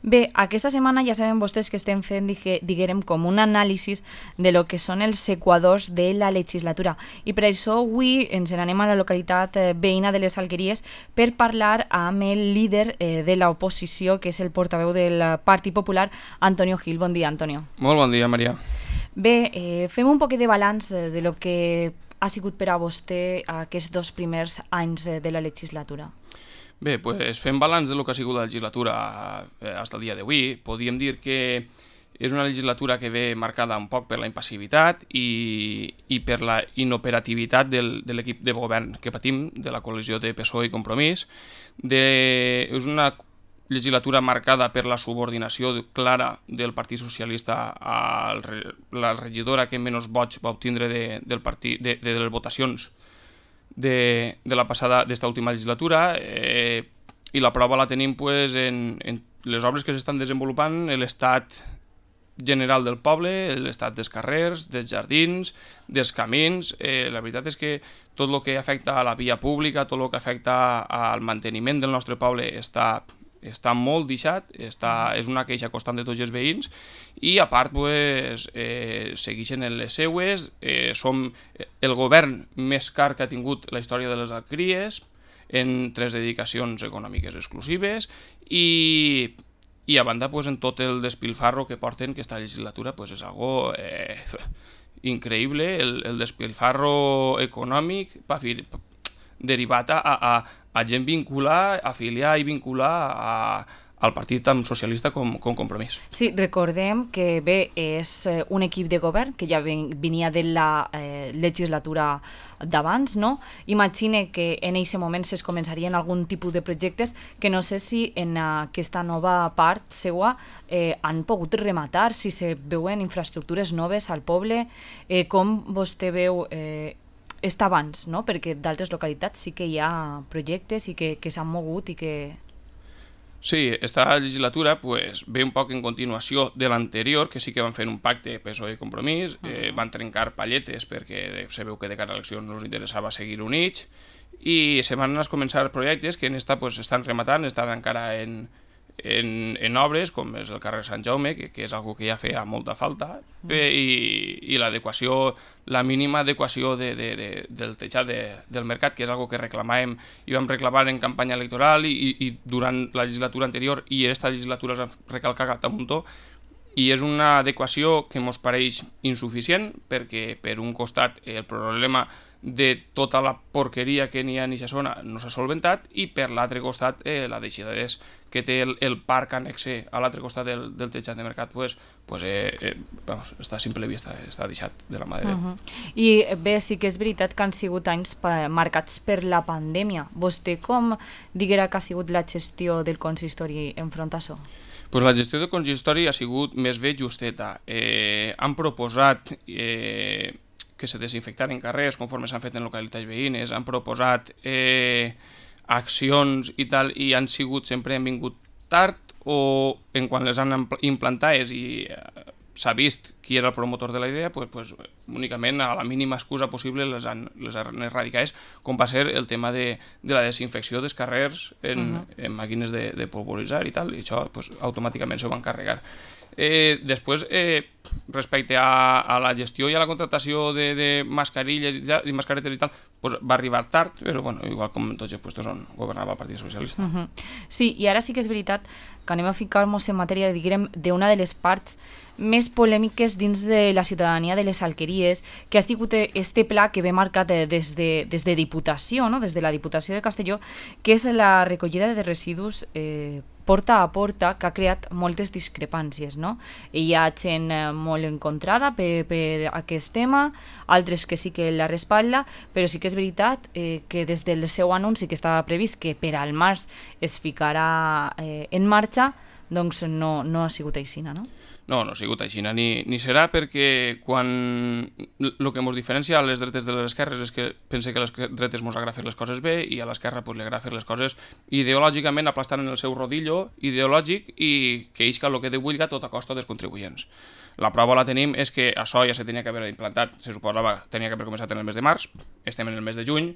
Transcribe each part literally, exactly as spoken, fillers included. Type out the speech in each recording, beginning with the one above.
Bé, aquesta setmana ja saben vostès que estem fent, diguem, com un anàlisi de lo que són els equadors de la legislatura. I per això avui ens n'anem a la localitat veïna de les Alqueries per parlar amb el líder de l'oposició, que és el portaveu del Partit Popular, Antonio Gil. Bon dia, Antonio. Molt bon dia, Maria. Bé, eh, fem un poquet de balanç de lo que ha sigut per a vostè aquests dos primers anys de la legislatura. Bé, pues, fent balanç del que ha sigut la legislatura fins al dia d'avui, podríem dir que és una legislatura que ve marcada un poc per la impassivitat i, i per la inoperativitat del, de l'equip de govern que patim, de la coalició de P S O E i Compromís. De, és una legislatura marcada per la subordinació clara del Partit Socialista a la regidora que menys vots va obtindre de, del partit, de, de les votacions de, de la passada d'esta última legislatura, eh, i la prova la tenim pues, en, en les obres que s'estan desenvolupant, l'estat general del poble, l'estat dels carrers, dels jardins, dels camins. Eh, la veritat és que tot el que afecta a la via pública, tot el que afecta al manteniment del nostre poble està està molt deixat, està, és una queixa constant de tots els veïns, i a part pues, eh, segueixen en les seues, eh, som el govern més car que ha tingut la història de les Alqueries, en tres dedicacions econòmiques exclusives, i, i a banda pues, en tot el despilfarro que porten aquesta legislatura, pues, és algo eh, increïble, el, el despilfarro econòmic pa, derivat a, a a gent vincular, afiliar i vincular a, al partit tant socialista com, com Compromís. Sí, recordem que bé, és un equip de govern que ja venia de la eh, legislatura d'abans, no? Imagine que en aquest moment es començarien algun tipus de projectes que no sé si en aquesta nova part seua eh, han pogut rematar, si se veuen infraestructures noves al poble, eh, com vostè veu eh, està abans, no? Perquè d'altres localitats sí que hi ha projectes i que, que s'han mogut i que... Sí, esta legislatura pues, ve un poc en continuació de l'anterior, que sí que van fer un pacte P S O E i Compromís, uh -huh. eh, van trencar palletes perquè se veu que de cara a eleccions no els interessava seguir units, i se van anar a començar projectes que en esta pues, estan rematant, estan encara en... En, en obres, com és el carrer Sant Jaume, que, que és algo que ja feia molta falta, mm. i, i l'adequació, la mínima adequació de, de, de, del tejat de, del mercat, que és algo que reclamàvem i vam reclamar en campanya electoral i, i durant la legislatura anterior, i esta legislatura s'ha recalcat a muntó, i és una adequació que ens pareix insuficient, perquè per un costat el problema de tota la porqueria que n'hi ha en aquesta zona no s'ha solventat, i per l'altre costat eh, la deixadesa que té el, el parc annexe a l'altre costat del, del tejat de mercat pues, pues, eh, eh, vamos, està a simple vista, està deixat de la mà de Déu. Uh-huh. I bé, sí que és veritat que han sigut anys marcats per la pandèmia. Vostè com diguera que ha sigut la gestió del consistori enfront a això? Pues la gestió del consistori ha sigut més bé justeta. Eh, han proposat eh, que se desinfectaren carrers conforme s'han fet en localitats veïnes, han proposat eh, accions i tal, i han sigut, sempre han vingut tard, o en quan les han implantades i eh, s'ha vist qui era el promotor de la idea, pues, pues, únicament a la mínima excusa possible les han, les han erradicades, com va ser el tema de, de la desinfecció dels carrers en, uh-huh. en màquines de, de polvoritzar i tal, i això pues, automàticament s'ho van carregar. Eh, després, eh, respecte a, a la gestió i a la contratació de, de mascarilles i, i mascaretes i tal, pues, va arribar tard, però bueno, igual com en tots els puestos on governava el Partit Socialista. Uh-huh. Sí, i ara sí que és veritat que anem a ficar-nos en matèria, diguem, d'una de les parts més polèmiques dins de la ciutadania de les Alqueries, que ha sigut este pla que ve marcat des de, des de Diputació, no? Des de la Diputació de Castelló, que és la recollida de residus eh, porta a porta, que ha creat moltes discrepàncies, no? Hi ha gent molt encontrada per, per aquest tema, altres que sí que la respatlla, però sí que és veritat eh, que des del seu anunci que estava previst que per al març es ficarà eh, en marxa, doncs no, no ha sigut així, no? No, no ha sigut així, ni, ni serà, perquè quan el que ens diferencia a les dretes de les esquerres és que pense que a les dretes ens agrada fer les coses bé i a l'esquerra pues, li agrada fer les coses ideològicament aplastant en el seu rodillo ideològic i que isca el que de vulga tot a costa dels contribuents. La prova la tenim és que això ja se tenia que haver implantat, se suposava que tenia que haver començat en el mes de març, estem en el mes de juny,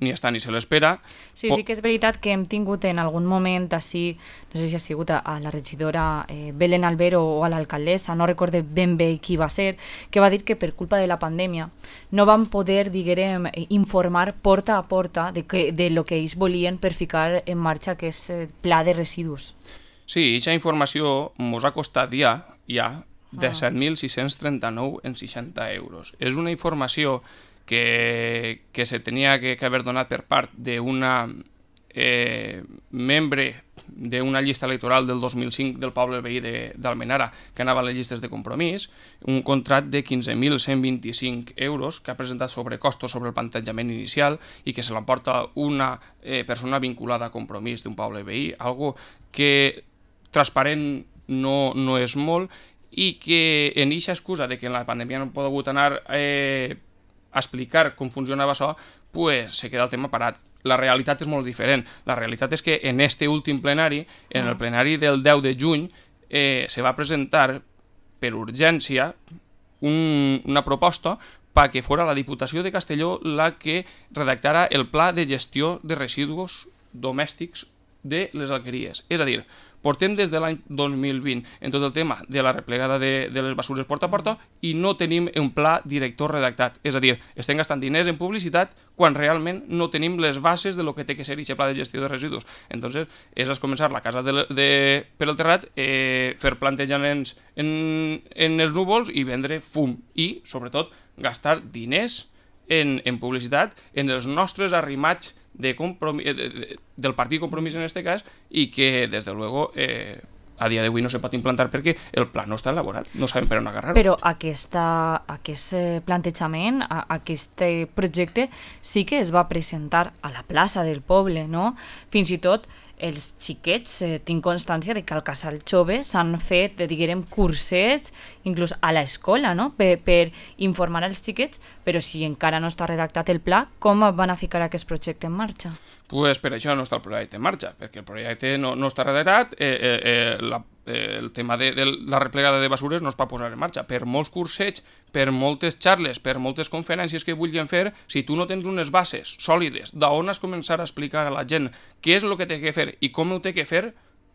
ni està ni se l'espera. Sí, sí que és veritat que hem tingut en algun moment així, no sé si ha sigut a, a la regidora eh, Belén Albero o a l'alcaldessa, no recorde ben bé qui va ser, que va dir que per culpa de la pandèmia no van poder, diguem, informar porta a porta de, que, de lo que ells volien per ficar en marxa aquest eh, pla de residus. Sí, aquesta informació ens ha costat ja, ja de set mil sis-cents trenta-nou en seixanta euros. És una informació que, que se tenia que, que haver donat per part d'una eh, membre d'una llista electoral del dos mil cinc del poble veí d'Almenara que anava a les llistes de compromís, un contrat de quinze mil cent vint-i-cinc euros que ha presentat sobrecostos sobre el plantejament inicial i que se l'emporta una eh, persona vinculada a compromís d'un poble veí, algo que transparent no, no és molt i que en aquesta excusa de que en la pandèmia no hem pogut anar eh, a explicar com funcionava això, pues se queda el tema parat. La realitat és molt diferent. La realitat és que en este últim plenari, en el plenari del deu de juny, eh, se va presentar per urgència un, una proposta perquè fora la Diputació de Castelló la que redactara el pla de gestió de residus domèstics de les alqueries. És a dir, portem des de l'any dos mil vint en tot el tema de la replegada de, de les basures porta a porta i no tenim un pla director redactat. És a dir, estem gastant diners en publicitat quan realment no tenim les bases de lo que té que ser aquest pla de gestió de residus. Entonces, és començar la casa de, de, per el terrat, eh, fer plantejaments en, en els núvols i vendre fum. I, sobretot, gastar diners en, en publicitat, en els nostres arrimats de compromís, de, de, del partit Compromís en este cas, i que, des de luego, eh, a dia d'avui no se pot implantar perquè el pla no està elaborat, no sabem per on agarrar-ho. Però aquesta, aquest plantejament, aquest projecte, sí que es va presentar a la plaça del poble, no? Fins i tot els xiquets, eh, tinc constància de que al Casal Jove s'han fet, diguem, cursets, inclús a l'escola, no? Per, per informar als xiquets, però si encara no està redactat el pla, com van a ficar aquest projecte en marxa? Pues per això no està el projecte en marxa, perquè el projecte no, no està redactat, eh, eh, eh, la, eh, el tema de, de la replegada de basures no es va posar en marxa. Per molts cursets, per moltes xarles, per moltes conferències que vulguin fer, si tu no tens unes bases sòlides d'on has començar a explicar a la gent què és el que té que fer i com ho té que fer,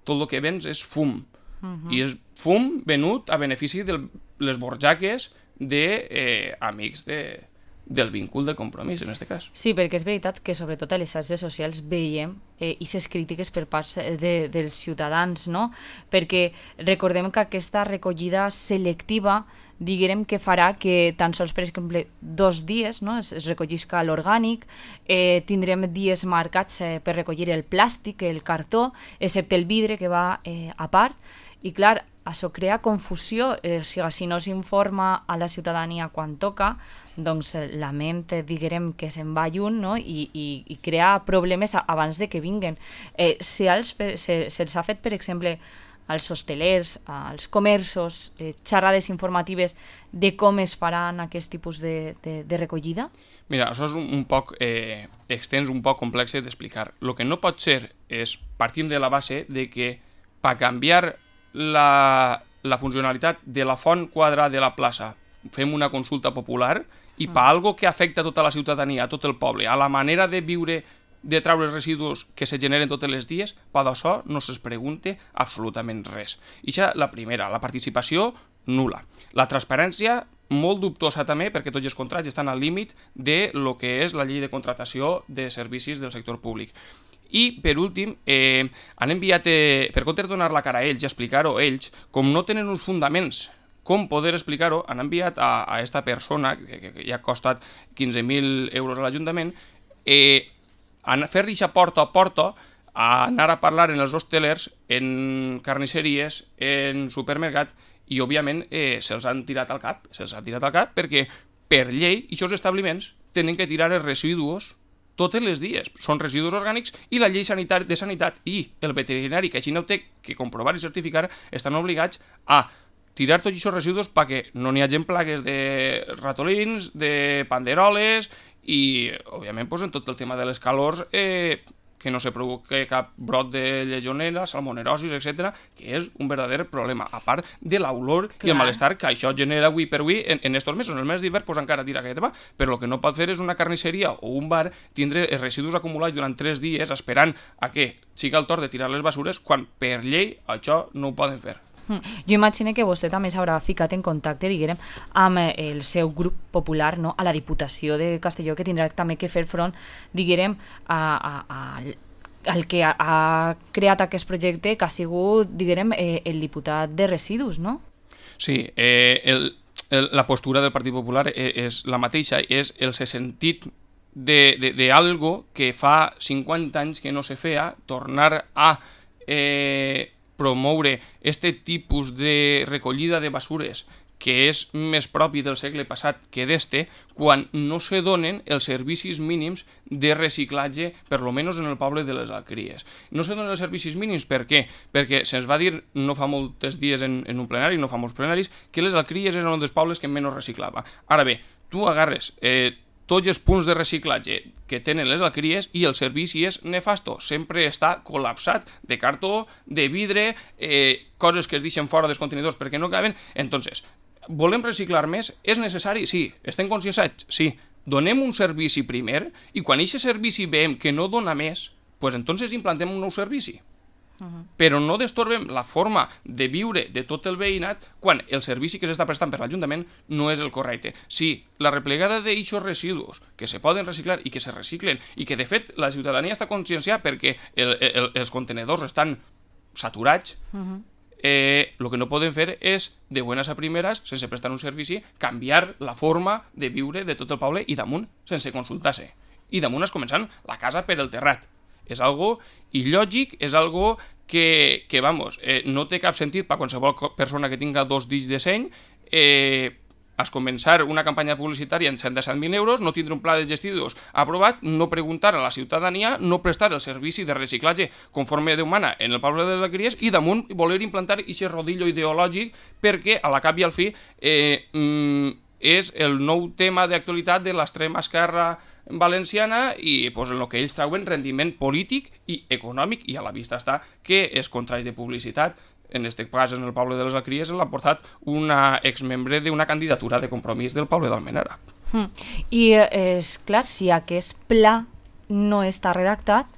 tot el que vens és fum. Uh-huh. I és fum venut a benefici de les borjaques d'amics de... Eh, del vincul de compromís, en aquest cas. Sí, perquè és veritat que sobretot a les xarxes socials veiem eh, aquestes crítiques per part de, dels ciutadans, no? Perquè recordem que aquesta recollida selectiva, diguem que farà que tan sols, per exemple, dos dies, no? es, es recollisca l'orgànic, eh, tindrem dies marcats eh, per recollir el plàstic, el cartó, excepte el vidre que va eh, a part, i clar, això crea confusió, eh, si, si no s'informa a la ciutadania quan toca, doncs la ment, diguem, que se'n va lluny, no? I, i, i crea problemes abans de que vinguen. Eh, si els fe, se, se'ls ha fet, per exemple, als hostelers, als comerços, eh, xerrades informatives de com es faran aquest tipus de, de, de recollida? Mira, això és un, un poc eh, extens, un poc complex d'explicar. El que no pot ser és, partim de la base de que per canviar La, la funcionalitat de la font quadrada de la plaça fem una consulta popular i per algo que afecta a tota la ciutadania, a tot el poble, a la manera de viure, de treure els residus que se generen tots els dies, per això no se'ls pregunta absolutament res. I això la primera, la participació nula. La transparència molt dubtosa també, perquè tots els contrats estan al límit de lo que és la llei de contractació de servicis del sector públic. I, per últim, eh, han enviat, eh, per compte de donar la cara a ells i explicar-ho ells, com no tenen uns fundaments com poder explicar-ho, han enviat a, a esta persona, que, que, que ja ha costat quinze mil euros a l'Ajuntament, eh, a fer reixa porta a porta, a anar a parlar en els hostelers, en carnisseries, en supermercat, i, òbviament, eh, se'ls han tirat al cap, se'ls han tirat al cap perquè, per llei, aquests establiments tenen que tirar els residus tots els dies. Són residus orgànics i la llei sanitària de sanitat i el veterinari, que així no té que comprovar i certificar, estan obligats a tirar tots aquests residus perquè no n'hi hagi plagues de ratolins, de panderoles i, òbviament, pues, en tot el tema de les calors, eh, que no se provoqui cap brot de legionela, salmonerosis, etcètera, que és un verdader problema, a part de l'olor i el malestar que això genera avui per avui en, en estos mesos. En el mes d'hivern pues encara tira aquest va, però el que no pot fer és una carnisseria o un bar tindre els residus acumulats durant tres dies esperant a que sigui el torn de tirar les basures quan per llei això no ho poden fer. Jo imagino que vostè també s'haurà ficat en contacte, diguem, amb el seu grup popular, no? A la Diputació de Castelló, que tindrà també que fer front, diguem, a, a, a el que ha, ha creat aquest projecte, que ha sigut, diguem, eh, el diputat de residus, no? Sí, eh, el, el, la postura del Partit Popular és, és la mateixa, és el sentit de, de, de algo que fa cinquanta anys que no se feia, tornar a eh, promoure este tipus de recollida de basures que és més propi del segle passat que d'este, quan no se donen els servicis mínims de reciclatge, per lo menos en el poble de les Alqueries. No se donen els servicis mínims, per què? Perquè se'ns va dir no fa molts dies en, en un plenari, no fa molts plenaris, que les Alqueries eren un dels pobles que menys reciclava. Ara bé, tu agarres eh, tots els punts de reciclatge que tenen les Alqueries i el servici és nefasto, sempre està col·lapsat de cartó, de vidre, eh, coses que es deixen fora dels contenidors perquè no caben. Entonces, volem reciclar més? És necessari? Sí. Estem conscienciats? Sí. Donem un servici primer i quan aquest servici veiem que no dona més, pues entonces implantem un nou servici. Uh-huh. Però no destorbem la forma de viure de tot el veïnat quan el servici que s'està prestant per l'Ajuntament no és el correcte. Sí, la replegada d'eixos residus que se poden reciclar i que se reciclen i que de fet la ciutadania està conscienciada perquè el, el, els contenedors estan saturats, uh-huh. Eh, el que no podem fer és, de buenas a primeres, sense prestar un servici, canviar la forma de viure de tot el poble i damunt, sense consultar-se. I damunt es començant la casa per el terrat. És algo il·lògic, és algo que, que vamos, eh, no té cap sentit per qualsevol persona que tinga dos dits de seny, eh, es començar una campanya publicitària en cent disset mil euros, no tindre un pla de gestions aprovat, no preguntar a la ciutadania, no prestar el servici de reciclatge conforme Déu mana en el poble de les Alqueries i damunt voler implantar aquest rodillo ideològic perquè a la cap i al fi eh, mm, és el nou tema d'actualitat de l'extrema esquerra valenciana i pues, en el que ells trauen rendiment polític i econòmic i a la vista està que es contraix de publicitat. En aquest cas, en el poble de les Alqueries, l'ha portat una exmembre d'una candidatura de Compromís del poble d'Almenara. Mm. I és clar, si aquest pla no està redactat,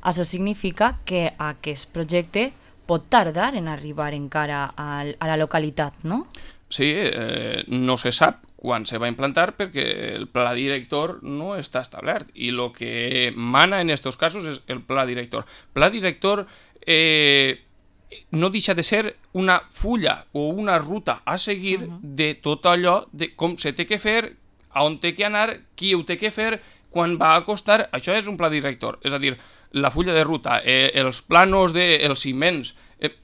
això significa que aquest projecte pot tardar en arribar encara a, a la localitat, no? Sí, eh, no se sap quan se va implantar perquè el pla director no està establert i el que mana en aquests casos és el pla director. Pla director eh, no deixa de ser una fulla o una ruta a seguir uh-huh. de tot allò de com se té que fer, a on té que anar, qui ho té que fer, quan va a costar. Això és un pla director, és a dir, la fulla de ruta, eh, els planos dels de, ciments, eh,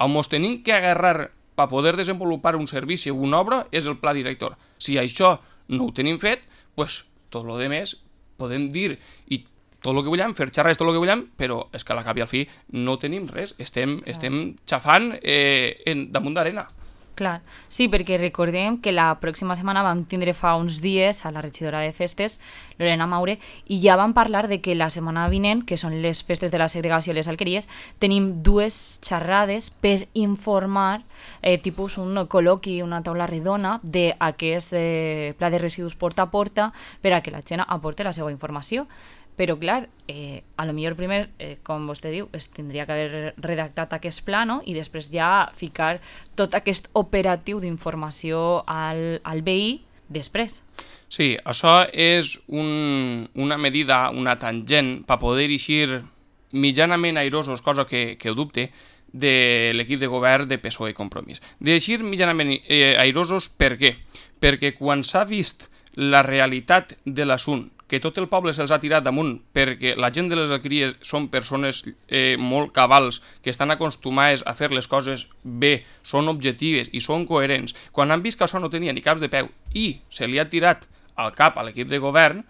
on ens tenim que agarrar per poder desenvolupar un servici o una obra és el pla director. Si això no ho tenim fet, pues, tot el que més podem dir i tot el que volem, fer xerrar és tot el que volem, però és que a la cap i al fi no tenim res, estem, estem xafant eh, en, damunt d'arena. Clar, sí, perquè recordem que la pròxima setmana vam tindre fa uns dies a la regidora de festes, Lorena Maure, i ja vam parlar de que la setmana vinent, que són les festes de la segregació i les Alqueries, tenim dues xerrades per informar, eh, tipus un col·loqui, una taula redona, d'aquest eh, pla de residus porta a porta per a que la gent aporti la seva informació. Però, clar, eh, a lo millor primer, eh, com vostè diu, es tindria que haver redactat aquest pla, no? I després ja ficar tot aquest operatiu d'informació al, al veí després. Sí, això és un, una medida, una tangent, per poder eixir mitjanament airosos, cosa que, que ho dubte, de l'equip de govern de P S O E i Compromís. D'eixir mitjanament eh, airosos, per què? Perquè quan s'ha vist la realitat de l'assumpte, que tot el poble se'ls ha tirat damunt perquè la gent de les Alqueries són persones eh, molt cabals, que estan acostumades a fer les coses bé, són objectives i són coherents. Quan han vist que això no tenia ni caps de peu i se li ha tirat al cap a l'equip de govern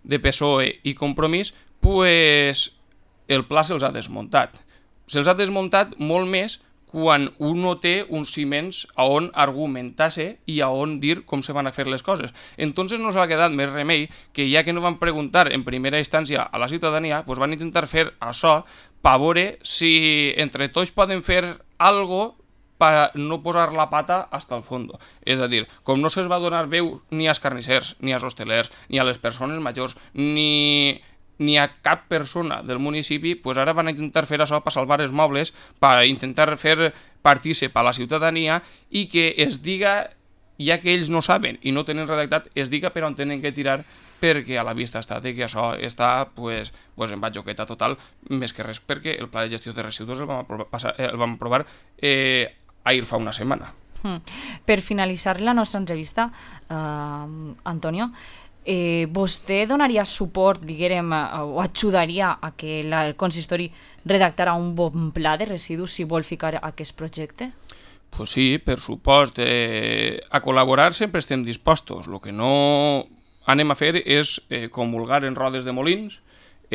de P S O E i Compromís, pues el pla se'ls ha desmuntat. Se'ls ha desmuntat molt més quan un no té uns ciments a on argumentar-se i a on dir com se van a fer les coses. Entonces no s'ha quedat més remei que ja que no van preguntar en primera instància a la ciutadania, pues van intentar fer això per veure si entre tots poden fer algo per no posar la pata hasta el fondo. És a dir, com no se'ls va donar veu ni als carnissers, ni als hostelers, ni a les persones majors, ni... ni a cap persona del municipi, pues ara van intentar fer això per salvar els mobles, per intentar fer partícip a la ciutadania i que es diga, ja que ells no saben i no tenen redactat, es diga per on tenen que tirar, perquè a la vista està de que això està pues, pues en batjoqueta total, més que res perquè el pla de gestió de residus el vam aprovar, passar, el vam aprovar eh, ahir fa una setmana. Hmm. Per finalitzar la nostra entrevista, eh, Antonio, Eh, vostè donaria suport, diguem, o ajudaria a que la, el consistori redactara un bon pla de residus si vol ficar aquest projecte? Pues sí, per supost. Eh, a col·laborar sempre estem dispostos. El que no anem a fer és eh, comulgar en rodes de molins.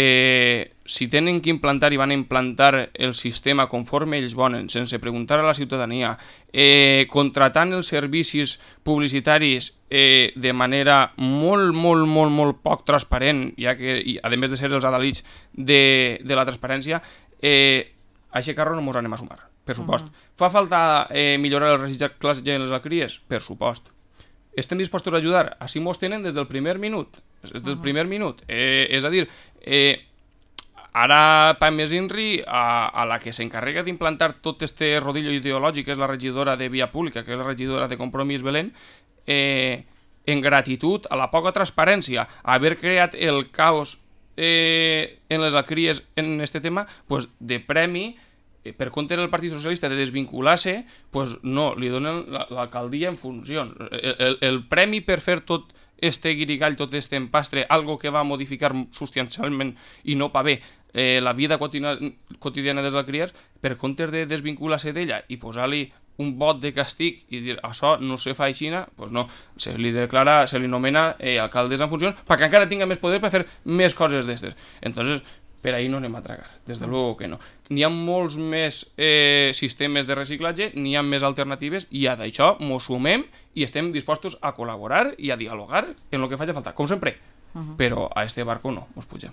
Eh, si tenen que implantar i van implantar el sistema conforme ells volen, sense preguntar a la ciutadania, eh, contratant els servicis publicitaris eh, de manera molt, molt, molt, molt poc transparent, ja que, i, a més de ser els adalits de, de la transparència, eh, a aquest carro no ens anem a sumar, per supost. Uh -huh. Fa falta eh, millorar el reciclatge en les alqueries? Per supost. Estem dispostos a ajudar? Així mos tenen des del primer minut. Des del primer minut. Eh, és a dir, eh, ara Pam més Inri, a, a la que s'encarrega d'implantar tot este rodillo ideològic, que és la regidora de Via Pública, que és la regidora de Compromís Belén, eh, en gratitud a la poca transparència, a haver creat el caos eh, en les alqueries en este tema, pues, de premi, per compte del Partit Socialista de desvincular-se, pues no, li donen l'alcaldia en funcions. El, el, el premi per fer tot este guirigall, tot este empastre, algo que va modificar substancialment i no pa bé eh, la vida quotidiana dels alqueries, per compte de desvincular-se d'ella i posar-li un vot de castig i dir això no se fa així, pues no, se li declara, se li nomena eh, alcaldes en funcions perquè encara tinga més poder per fer més coses d'estes. Entonces, per ahí no anem a tragar, des de luego que no. N'hi ha molts més eh, sistemes de reciclatge, n'hi ha més alternatives i a d'això mos sumem i estem dispostos a col·laborar i a dialogar en el que faci falta, com sempre. Uh -huh. Però a este barco no, mos pugem.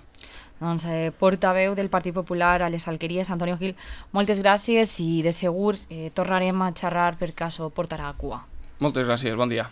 Doncs eh, portaveu del Partit Popular a les Alqueries, Antonio Gil, moltes gràcies i de segur eh, tornarem a xerrar per cas ho portarà a cua. Moltes gràcies, bon dia.